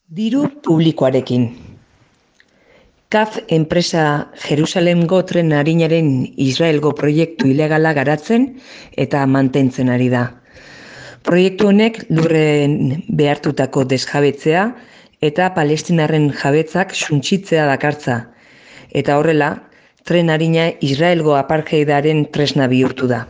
Diru publikoarekin. CAF enpresa Jerusalemgo tren arinaren Israelgo proiektu ilegala garatzen eta mantentzen ari da. Proiektu honek lurren behartutako desjabetzea eta palestinarren jabetzak suntsitzea dakartza, eta horrela, tren arina Israelgo apartheidaren tresna bihurtu da.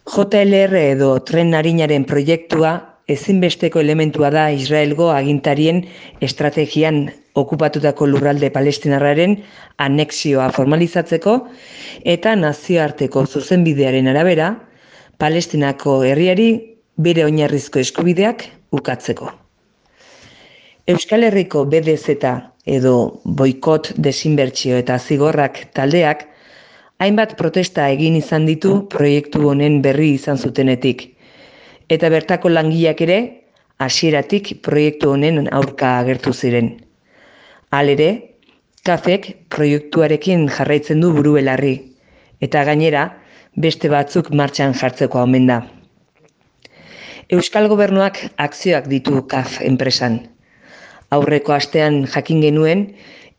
JLR edo tren arinaren proiektua ezinbesteko elementua da Israelgo agintarien estrategian okupatutako lurralde palestinarraren anexioa formalizatzeko eta nazioarteko zuzenbidearen arabera, Palestinako herriari bere oinarrizko eskubideak ukatzeko. Euskal Herriko BDZ edo boikot, desinbertsio eta zigorrak taldeak hainbat protesta egin izan ditu proiektu honen berri izan zutenetik, eta bertako langileak ere hasieratik proiektu honen aurka agertu ziren. Halere, CAFek proiektuarekin jarraitzen du buru-belarri, eta gainera beste batzuk martxan jartzeko omen da. Euskal Gobernuak akzioak ditu CAF enpresan. Aurreko astean jakin genuen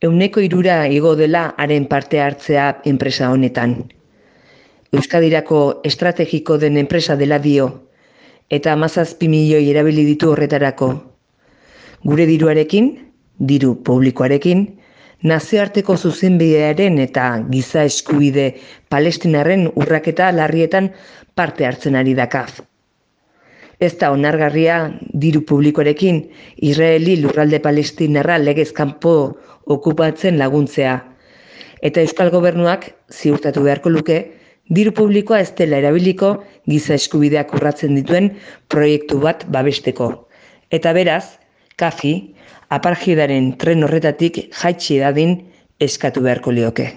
3% igo dela haren parte hartzea enpresa honetan. Euskadirako estrategiko den enpresa dela dio, eta 17 milioi erabili ditu horretarako. Gure diruarekin, diru publikoarekin, nazioarteko zuzenbidearen eta giza eskubide palestinarren urraketa larrietan parte hartzen ari da CAF. Ez da onargarria diru publikoarekin Israeli lurralde palestinarra legez kanpo okupatzen laguntzea, eta Euskal Gobernuak ziurtatu beharko luke diru publikoa ez dela erabiliko giza eskubideak urratzen dituen proiektu bat babesteko, eta beraz, CAFi apartheidaren tren horretatik jaitsi dadin eskatu beharko lioke.